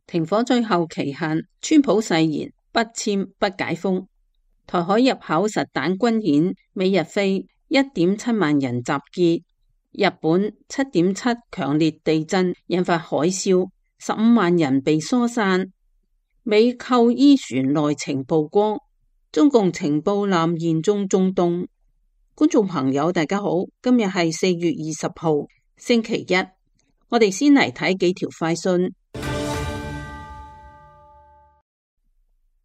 停火最後期限，川普誓言不簽不解封。台海入口實彈軍演，美日菲1.7萬人集結。日本7.7強烈地震引發海嘯，15萬人被疏散。美扣伊船內情曝光，中共情報艦嚴重中東。觀眾朋友大家好，今日係4月20號星期一，我哋先嚟睇幾條快訊。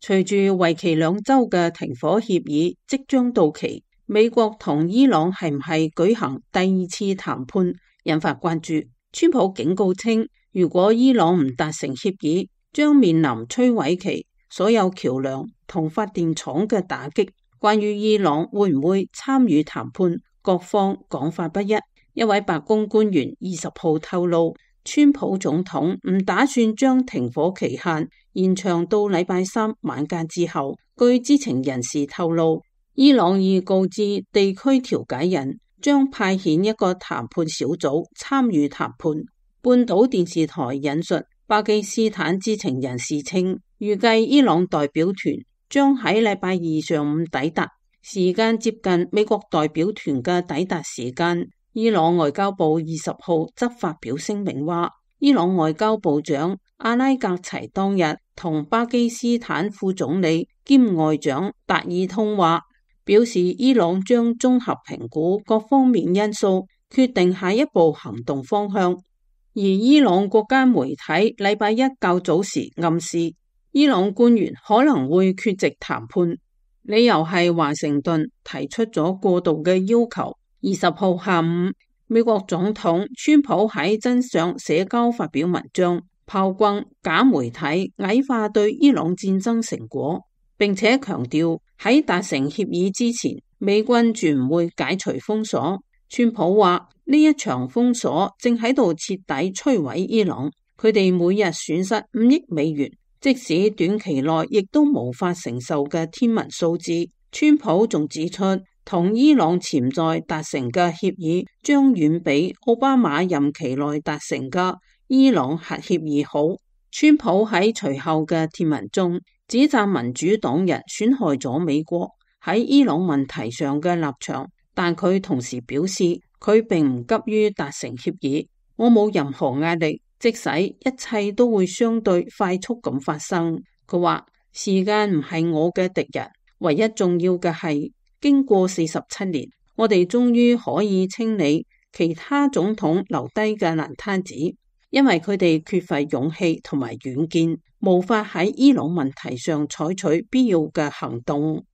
隨住為期2週嘅停火協議即將到期，美國同伊朗係唔係舉行第2次談判引發關注。川普警告稱，如果伊朗唔達成協議，將面臨摧毀其所有橋樑同發電廠嘅打擊。關於伊朗會唔會參與談判，各方講法不一。一位白宮官員20號透露，川普總統唔打算將停火期限延長到禮拜3晚間之後。據知情人士透露，伊朗已告知地區調解人將派遣一個談判小組參與談判。半島電視台引述巴基斯坦知情人士稱，預計伊朗代表團將喺禮拜2上午抵達，時間接近美國代表團嘅抵達時間。伊朗外交部20號則發表聲明話，伊朗外交部長阿拉格齊當日同巴基斯坦副總理兼外長達爾通話，表示伊朗將綜合評估各方面因素，決定下一步行動方向。而伊朗國家媒體禮拜一較早時暗示，伊朗官員可能會缺席談判，理由係華盛頓提出咗過度嘅要求。20號下午，美國總統川普喺真相社交發表文章，炮轟假媒體矮化對伊朗戰爭成果，並且強調喺達成協議之前，美軍絕唔會解除封鎖。川普話呢一場封鎖正喺度徹底摧毀伊朗，佢哋每日損失5億美元，即使短期內亦都無法承受嘅天文數字。川普仲指出，同伊朗潛在達成嘅協議將遠比奧巴馬任期內達成嘅伊朗核協議好。川普喺隨後嘅貼文中指責民主黨人損害咗美國喺伊朗問題上嘅立場，但佢同時表示佢並唔急於達成協議。我冇任何壓力，即使一切都會相對快速咁發生。佢話時間唔係我嘅敵人，唯一重要嘅係經過47年，我哋終於可以清理其他總統留低嘅爛攤子，因為佢哋缺乏勇氣同埋遠見，無法喺伊朗問題上採取必要嘅行動。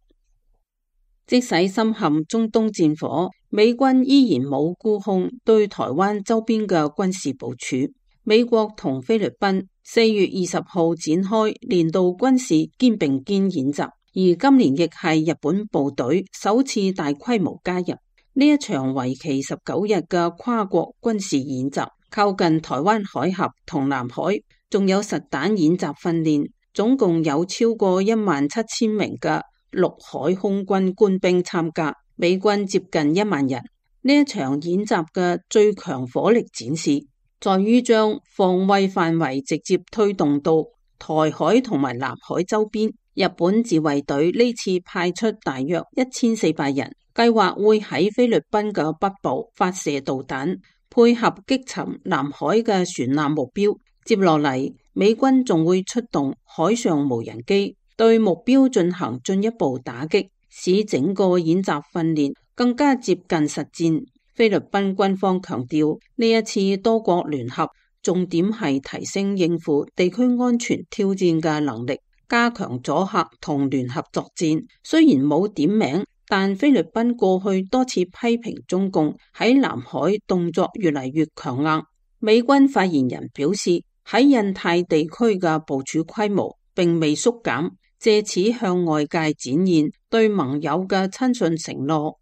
即使深陷中東戰火，美軍依然冇沽空對台灣周邊嘅軍事部署。美國同菲律賓4月20號展開年度軍事肩並肩演習。而今年亦係日本部隊首次大規模加入呢一場為期19日嘅跨國軍事演習，靠近台灣海峽同南海，仲有實彈演習訓練，總共有超過17000名嘅陸海空軍官兵參加，美軍接近1萬人。呢一場演習嘅最強火力展示，在於將防衛範圍直接推動到台海同埋南海周邊。日本自衛隊呢次派出大約1400人，計劃會喺菲律賓嘅北部發射導彈，配合擊沉南海嘅船艦目標。接落嚟，美軍仲會出動海上無人機，對目標進行進一步打擊，使整個演習訓練更加接近實戰。菲律賓軍方強調，呢一次多國聯合重點係提升應付地區安全挑戰嘅能力，加強阻嚇同聯合作戰。雖然冇點名，但菲律賓過去多次批評中共喺南海動作越嚟越強硬。美軍發言人表示，喺印太地區嘅部署規模並未縮減，借此向外界展現對盟友嘅親信承諾。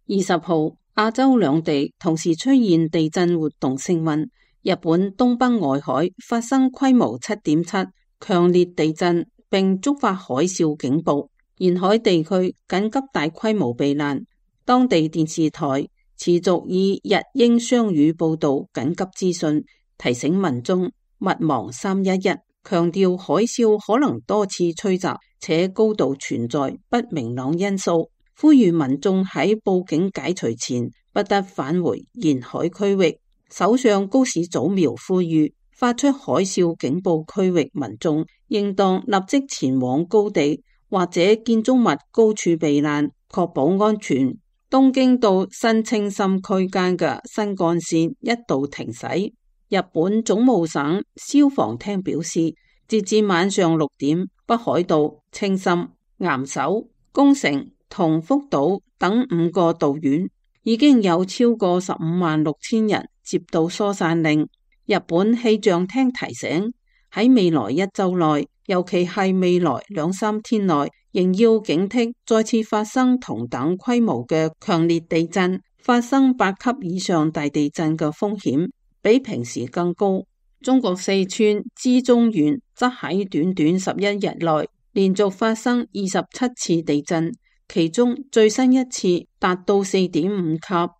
20號，亞洲兩地同時出現地震活動升溫，日本東北外海發生規模7.7強烈地震，並觸發海嘯警報，沿海地區緊急大規模避難。當地電視台持續以日英雙語報道緊急資訊，提醒民眾勿忘311，強調海嘯可能多次吹襲，且高度存在不明朗因素，呼籲民眾喺報警解除前不得返回沿海區域。首相高市早苗呼籲發出海嘯警報區域民眾應當立即前往高地或者建築物高處避難，確保安全。東京到新青森區間嘅新幹線一度停駛。日本總務省消防廳表示，截至晚上6點，北海道、青森、岩手、宮城同福島等5個道縣已經有超過156000人接到疏散令。日本氣象廳提醒，喺未來1週內，尤其係未來2-3天內，仍要警惕再次發生同等規模嘅強烈地震，發生8級以上大地震嘅風險比平時更高。中國四川資中縣則喺短短11日內連續發生27次地震，其中最新一次達到4.5級。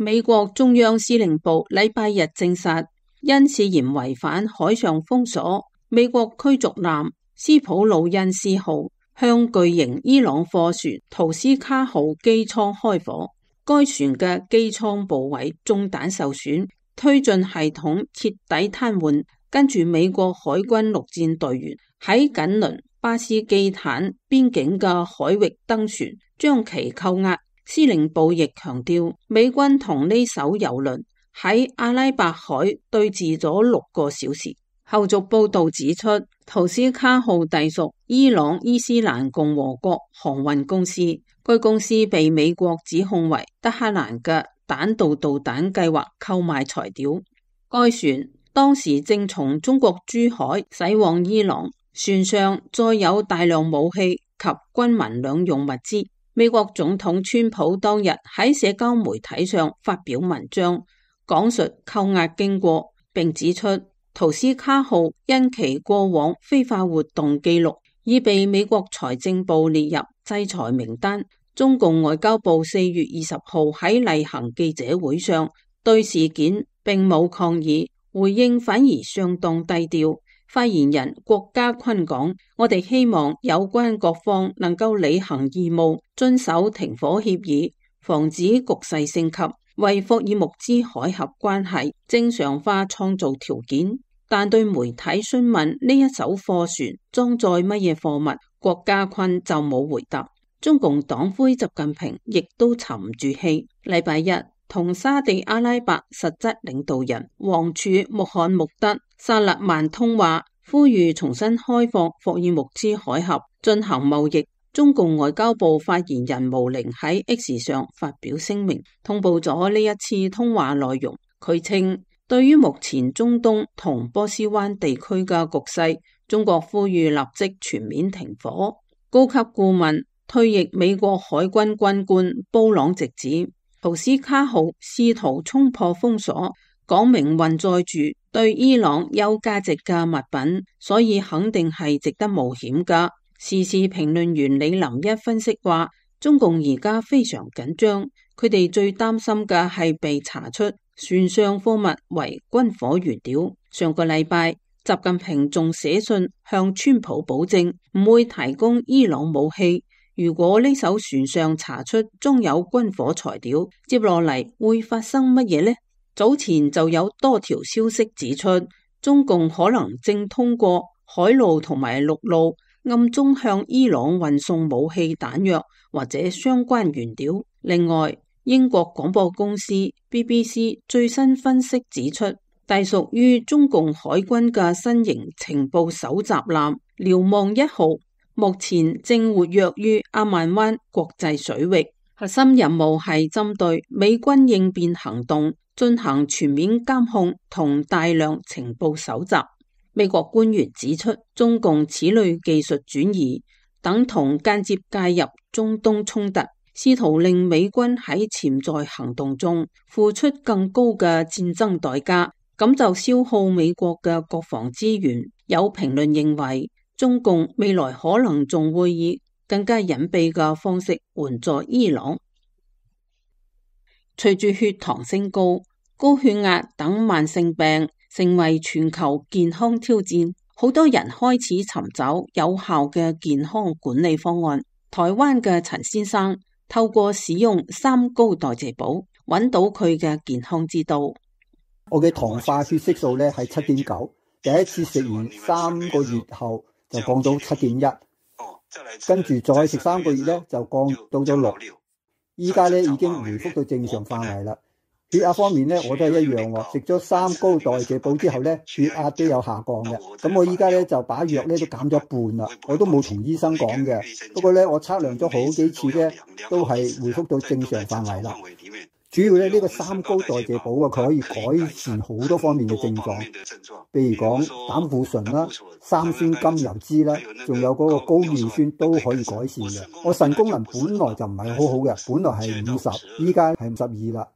美國中央司令部禮拜日證實，因涉嫌違反海上封鎖，美國驅逐艦斯普魯恩斯號向巨型伊朗貨船圖斯卡號機艙開火，該船嘅機艙部位中彈受損，推進系統徹底癱瘓。跟住美國海軍陸戰隊員喺緊鄰巴斯基坦邊境嘅海域登船，將其扣押。司令部亦強調，美軍同呢艘油輪喺阿拉伯海對峙咗6個小時。後續報道指出，圖斯卡號隸屬伊朗伊斯蘭共和國航運公司，該公司被美國指控為德黑蘭嘅彈道導彈計劃購買材料。該船當時正從中國珠海駛往伊朗，船上載有大量武器及軍民兩用物資。美國總統川普當日喺社交媒體上發表文章，講述扣押經過，並指出圖斯卡號因其過往非法活動記錄，已被美國財政部列入制裁名單。中共外交部4月20號喺例行記者會上對事件並冇抗議，回應反而相當低調。發言人郭家坤講，我哋希望有關各方能夠履行義務，遵守停火協議，防止局勢升級，為霍爾木茲海峽關係正常化創造條件。但對媒體詢問呢一艘貨船裝載乜嘢貨物，郭家坤就冇回答。中共黨魁習近平亦都沉唔住氣，禮拜日同沙地阿拉伯實質領導人王儲穆罕默德薩勒曼通話，呼籲重新開放霍爾木茲海峽進行貿易。中共外交部發言人毛寧喺 X 上發表聲明，通報咗呢一次通話內容。佢稱，對於目前中東同波斯灣地區嘅局勢，中國呼籲立即全面停火。高級顧問退役美國海軍軍官布朗直指，圖斯卡號試圖衝破封鎖，講明運載住對伊朗有價值嘅物品，所以肯定係值得冒險噶。時事評論員李林一分析話，中共而家非常緊張，佢哋最擔心嘅係被查出船上貨物為軍火原料。上個禮拜，習近平仲寫信向川普保證唔會提供伊朗武器。如果呢艘船上查出裝有軍火材料，接落嚟會發生乜嘢呢？早前就有多條消息指出，中共可能正通過海路同埋陸路暗中向伊朗運送武器彈藥或者相關原料。另外，英國廣播公司 BBC 最新分析指出，隸屬於中共海軍嘅新型情報搜集艦瞭望1號目前正活躍於阿曼灣國際水域，核心任務係針對美軍應變行動進行全面監控同大量情報搜集。美國官員指出，中共此類技術轉移等同間接介入中東衝突，試圖令美軍喺潛在行動中付出更高嘅戰爭代價，咁就消耗美國嘅國防資源。有評論認為，中共未來可能仲會以更加隱蔽嘅方式援助伊朗。隨住血糖升高，高血壓等慢性病成為全球健康挑戰，好多人開始尋找有效嘅健康管理方案。台灣嘅陳先生透過使用三高代謝寶，揾到佢嘅健康之道。我嘅糖化血色素咧係7.9，第一次食完3個月後就降到7.1，跟住再食3個月咧就降到咗6，依家咧已經回復到正常範圍啦。血壓方面咧我都係一樣喎，食咗三高代謝寶之後咧血壓都有下降嘅。咁我依家咧就把藥咧都減咗一半啦，我都冇同醫生講嘅。不過咧我測量咗好幾次咧都係回復到正常範圍啦。主要咧呢個三高代謝寶啊，佢可以改善好多方面嘅症狀，譬如講膽固醇啦、三酸甘油酯啦，仲有嗰個高尿酸都可以改善嘅。我腎功能本來就唔係好好嘅，本來係50，依家係52啦。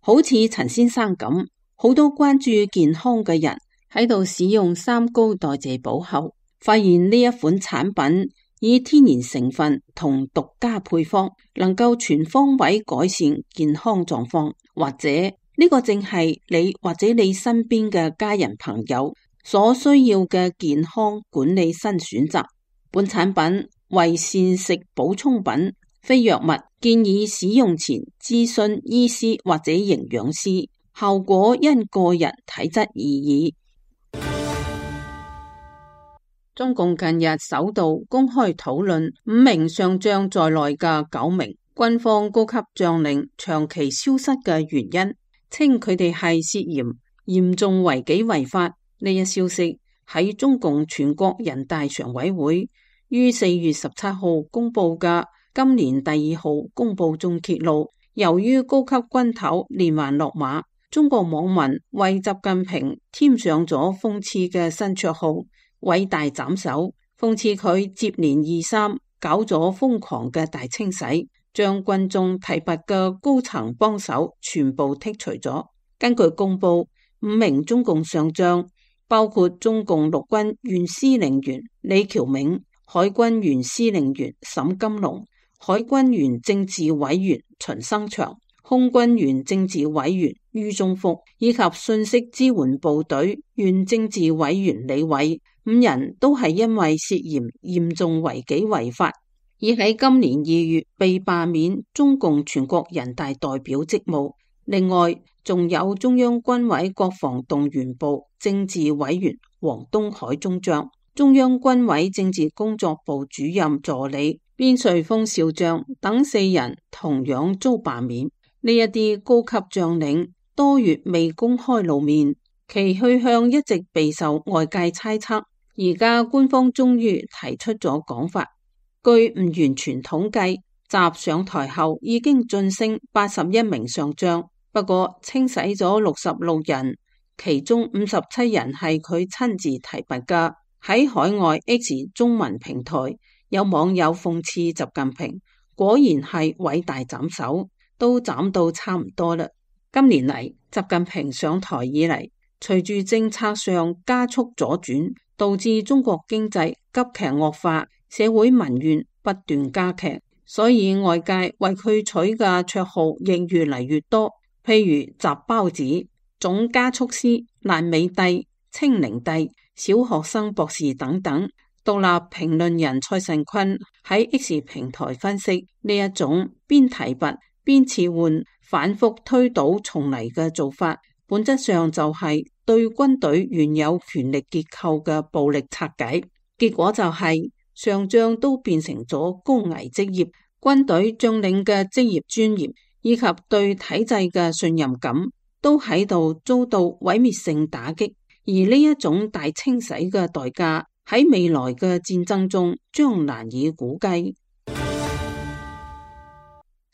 好似陳先生咁，好多關注健康嘅人喺度使用三高代謝寶後，發現呢一款產品以天然成分同獨家配方，能夠全方位改善健康狀況，或者呢個正係你或者你身邊嘅家人朋友所需要嘅健康管理新選擇。本產品為膳食補充品，非藥物，建議使用前諮詢醫師或者營養師，效果因個人體質而異。中共近日首度公開討論5名上將在內嘅9名軍方高級將領長期消失嘅原因，稱佢哋係涉嫌嚴重違紀違法。呢一消息喺中共全國人大常委會於4月17號公布嘅今年第2號公報中揭露，由於高級軍頭連環落馬，中國網民為習近平添上咗諷刺嘅新綽號偉大斬首，諷刺佢接連2、3搞咗瘋狂嘅大清洗，將軍中提拔嘅高層幫手全部剔除咗。根據公佈，5名中共上將包括中共陸軍原司令員李喬銘、海軍原司令員沈金龍、海軍原政治委員秦生祥、空軍原政治委員于宗福以及信息支援部隊原政治委員李偉，5人都係因為涉嫌嚴重違紀違法，而喺今年2月被罷免中共全國人大代表職務。另外，仲有中央軍委國防動員部政治委員王東海中將、中央軍委政治工作部主任助理邊瑞峰少將等4人同樣遭罷免。呢一啲高級將領多月未公開露面，其去向一直備受外界猜測。而家官方終於提出咗講法，據唔完全統計，習上台後已經晉升81名上將，不過清洗咗66人，其中57人係佢親自提拔㗎。喺海外 X 中文平台，有網友諷刺習近平果然係偉大斬首，都斬到差唔多啦。今年嚟，習近平上台以嚟，隨住政策上加速左轉，導致中國經濟急劇惡化，社會民怨不斷加劇，所以外界為佢取嘅綽號亦越嚟越多，譬如習包子、總加速師、爛尾帝、清零帝、小學生博士等等。獨立評論人蔡慎坤喺 X 平台分析，呢一種邊提拔邊撤換、反覆推倒重嚟嘅做法，本質上就係對軍隊原有權力結構嘅暴力拆解，結果就係上將都變成咗高危職業，軍隊將領嘅職業尊嚴以及對體制嘅信任感都喺度遭到毀滅性打擊，而呢一種大清洗嘅代價喺未來嘅戰爭中將難以估計。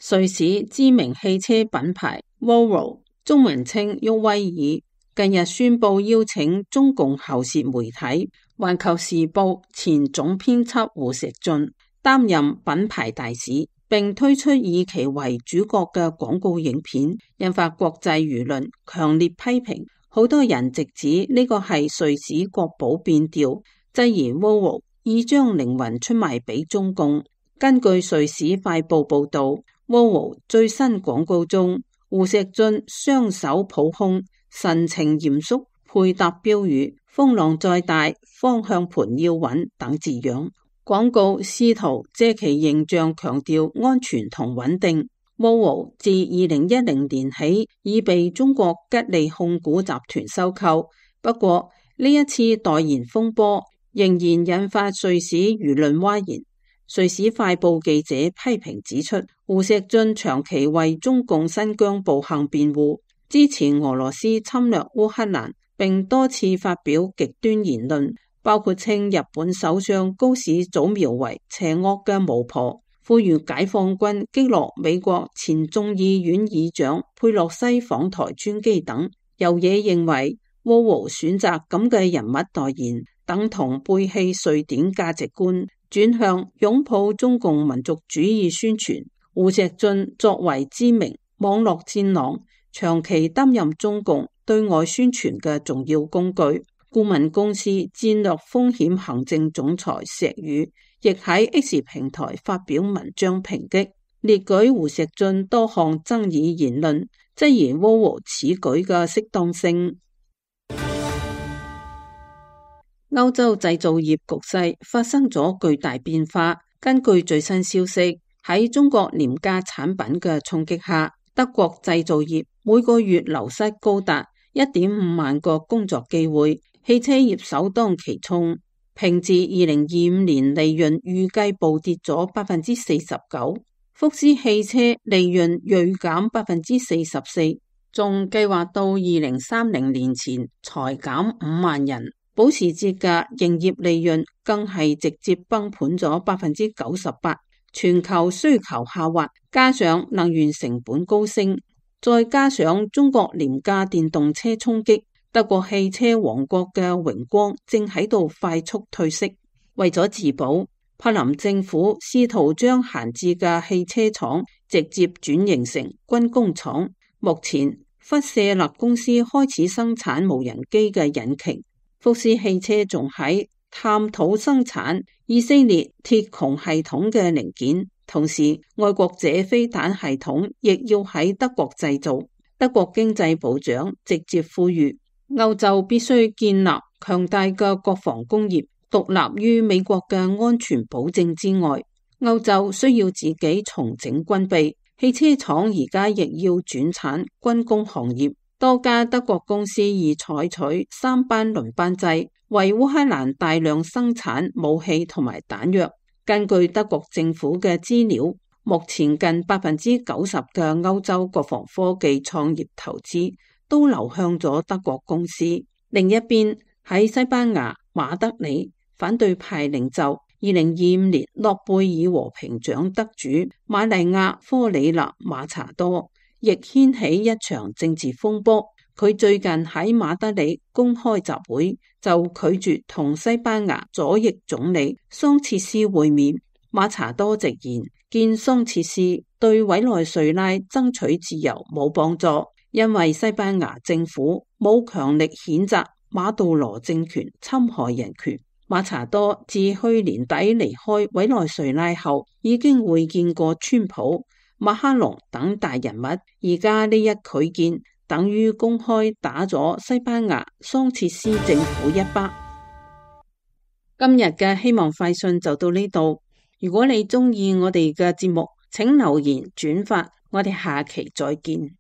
瑞士知名汽車品牌 Volvo 中文稱沃威爾近日宣布邀請中共喉舌媒體《環球時報》前總編輯胡錫進擔任品牌大使，並推出以其為主角嘅廣告影片，引發國際輿論強烈批評。好多人直指呢個係瑞士國寶變調，質疑 Volvo 已將靈魂出賣俾中共。根據瑞士快報報道，Volvo 最新廣告中胡錫進雙手抱胸，神情嚴肅，配搭標語風浪再大，方向盤要穩等字樣。廣告試圖借其形象強調安全同穩定。Volvo 自2010年起已被中國吉利控股集團收購，不過呢一次代言風波仍然引發瑞士輿論譁然。瑞士快報記者批評指出，胡錫進長期為中共新疆暴行辯護，支持俄羅斯侵略烏克蘭，並多次發表極端言論，包括稱日本首相高市早苗為邪惡嘅巫婆，呼籲解放軍擊落美國前眾議院議長佩洛西訪台專機等。有嘢認為Volvo選擇咁嘅人物代言，等同背棄瑞典價值觀，轉向擁抱中共民族主義宣傳。胡錫進作為知名網絡戰狼，長期擔任中共對外宣傳嘅重要工具。顧問公司戰略風險行政總裁石宇亦喺 X 平台發表文章抨擊，列舉胡錫進多項爭議言論，質疑Volvo此舉嘅適當性。歐洲製造業局勢發生咗巨大變化。根據最新消息，喺中國廉價產品嘅衝擊下，德國製造業每個月流失高達1.5萬個工作機會，汽車業首當其衝。平治2025年利潤預計暴跌咗49%，福斯汽車利潤銳減44%，仲計劃到2030年前裁減5萬人。保時捷嘅營業利潤更係直接崩盤咗98%。全球需求下滑，加上能源成本高升，再加上中國廉價電動車衝擊，德國汽車王國嘅榮光正喺度快速褪色。為咗自保，柏林政府試圖將閒置嘅汽車廠直接轉型成軍工廠。目前，弗舍勒公司開始生產無人機嘅引擎。福斯汽車仲喺探討生產以色列鐵穹系統嘅零件，同時愛國者飛彈系統亦要喺德國製造。德國經濟部長直接呼籲歐洲必須建立強大嘅國防工業，獨立於美國嘅安全保證之外。歐洲需要自己重整軍備，汽車廠而家亦要轉產軍工行業。多家德國公司已採取3班輪班制，為烏克蘭大量生產武器同埋彈藥。根據德國政府嘅資料，目前近90%嘅歐洲國防科技創業投資都流向咗德國公司。另一邊，喺西班牙馬德里，反對派領袖2025年諾貝爾和平獎得主瑪麗亞科里納馬查多亦掀起一場政治風波。佢最近喺馬德里公開集會，就拒絕同西班牙左翼總理桑切斯會面。馬查多直言，見桑切斯對委內瑞拉爭取自由冇幫助，因為西班牙政府冇強力譴責馬杜羅政權侵害人權。馬查多自去年底離開委內瑞拉後，已經會見過川普、馬克龍等大人物，而家呢一拒見等於公開打咗西班牙桑切斯政府一巴。今日嘅希望快訊就到呢度，如果你鍾意我哋嘅節目，請留言轉發，我哋下期再見。